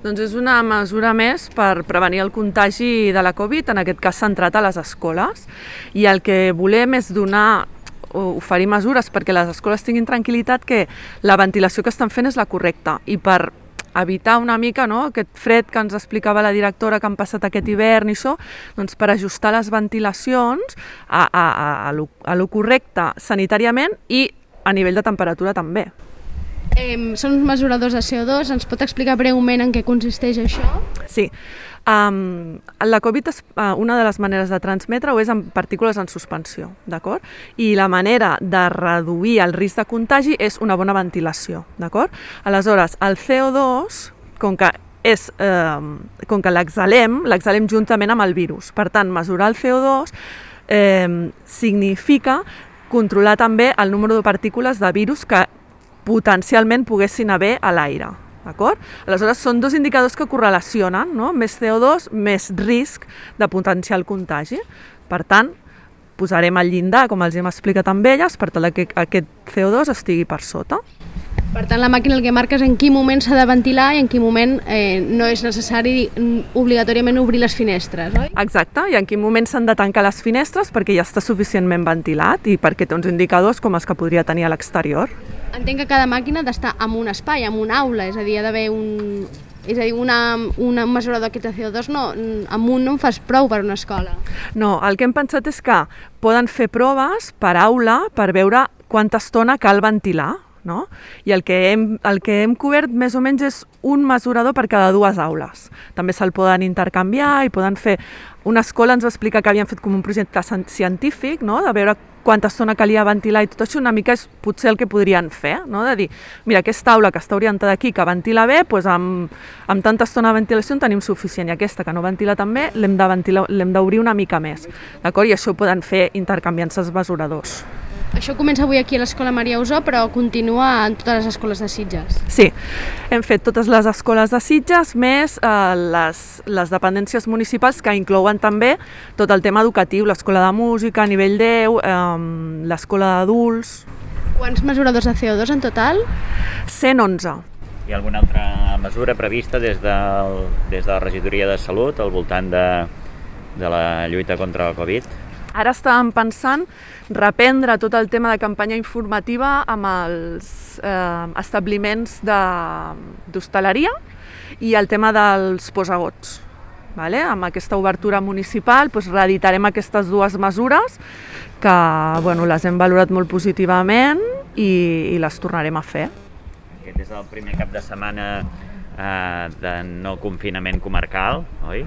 Doncs és una mesura més per prevenir el contagi de la Covid, en aquest cas centrat a les escoles. I el que volem és oferir mesures perquè les escoles tinguin tranquil·litat que la ventilació que estan fent és la correcta i per evitar una mica aquest fred que ens explicava la directora que han passat aquest hivern i això, doncs per ajustar les ventilacions a lo correcte sanitàriament i a nivell de temperatura també. Són uns mesuradors de CO2, ens pot explicar breument en què consisteix això? Sí. La Covid, una de les maneres de transmetre-ho és amb partícules en suspensió, d'acord? I la manera de reduir el risc de contagi és una bona ventilació, d'acord? Aleshores, el CO2, com que l'exhalem juntament amb el virus. Per tant, mesurar el CO2 significa controlar també el número de partícules de virus que potencialment poguessin haver a l'aire. D'acord? Aleshores, són dos indicadors que correlacionen, no? Més CO2, més risc de potencial contagi. Per tant, posarem el llindar, com els hem explicat amb elles, per tal que aquest CO2 estigui per sota. Per tant, la màquina el que marca és en quin moment s'ha de ventilar i en quin moment no és necessari obligatòriament obrir les finestres, oi? Exacte, i en quin moment s'han de tancar les finestres perquè ja està suficientment ventilat i perquè té uns indicadors com els que podria tenir a l'exterior. Entenc que cada màquina ha d'estar en un espai, en una aula, és a dir, ha d'haver un mesurador d'aquest CO2 amb un no en fas prou per una escola. No, el que hem pensat és que poden fer proves per aula per veure quanta estona cal ventilar, no? I el que hem cobert més o menys és un mesurador per cada 2 aules. També se'l poden intercanviar i poden fer... Una escola ens va explicar que havien fet com un projecte científic, no? De veure quanta estona calia ventilar i tot això, una mica és potser el que podrien fer, no? De dir, mira, aquesta aula que està orientada aquí, que ventila bé, doncs amb tanta estona de ventilació en tenim suficient, i aquesta que no ventila tan bé l'hem d'obrir una mica més, d'acord? I això ho poden fer intercanviant-se els mesuradors. Això comença avui aquí a l'Escola Maria Usó, però continua en totes les escoles de Sitges. Sí, hem fet totes les escoles de Sitges, més les dependències municipals que inclouen també tot el tema educatiu, l'escola de música, nivell 10, l'escola d'adults. Quants mesuradors de CO2 en total? 111. Hi ha alguna altra mesura prevista des de la Regidoria de Salut al voltant de la lluita contra la Covid? Ara estàvem pensant reprendre tot el tema de campanya informativa amb els establiments d'hostaleria i el tema dels posagots. Vale? Amb aquesta obertura municipal reeditarem aquestes 2 mesures que les hem valorat molt positivament i les tornarem a fer. Aquest és el primer cap de setmana de no confinament comarcal, oi?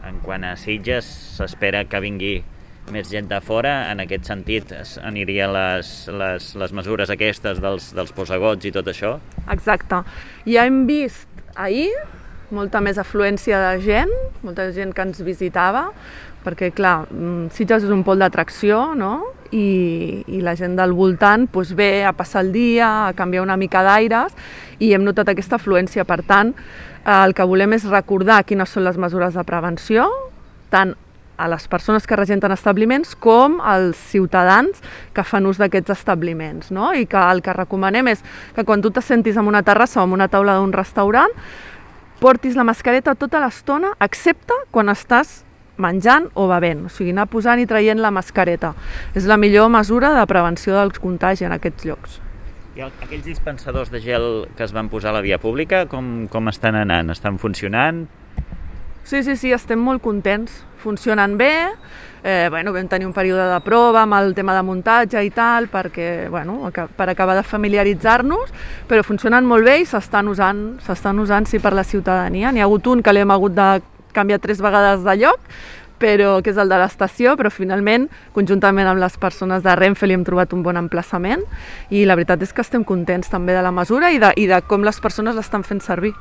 En quant a Sitges, s'espera que vingui més gent de fora. En aquest sentit, anirien les mesures aquestes dels posagots i tot això? Exacte. Ja hem vist ahir molta més afluència de gent, molta gent que ens visitava, perquè, clar, Sitges és un pol d'atracció, no? I la gent del voltant ve a passar el dia, a canviar una mica d'aires, i hem notat aquesta afluència. Per tant, el que volem és recordar quines són les mesures de prevenció, tant a les persones que regenten establiments com als ciutadans que fan ús d'aquests establiments, no? I que el que recomanem és que quan tu te sentis en una terrassa o en una taula d'un restaurant, portis la mascareta tota l'estona, excepte quan estàs menjant o bevent, o sigui, anar posant i traient la mascareta. És la millor mesura de prevenció del contagi en aquests llocs. I aquells dispensadors de gel que es van posar a la via pública, com estan anant? Estan funcionant? Sí, estem molt contents. Funcionen bé. Vam tenir un període de prova amb el tema de muntatge i tal, per acabar de familiaritzar-nos, però funcionen molt bé i s'estan usant sí, per la ciutadania. N'hi ha hagut un que l'hem hagut de canviar 3 vegades de lloc, que és el de l'estació, però finalment, conjuntament amb les persones de Renfe, li hem trobat un bon emplaçament i la veritat és que estem contents també de la mesura i de com les persones l'estan fent servir.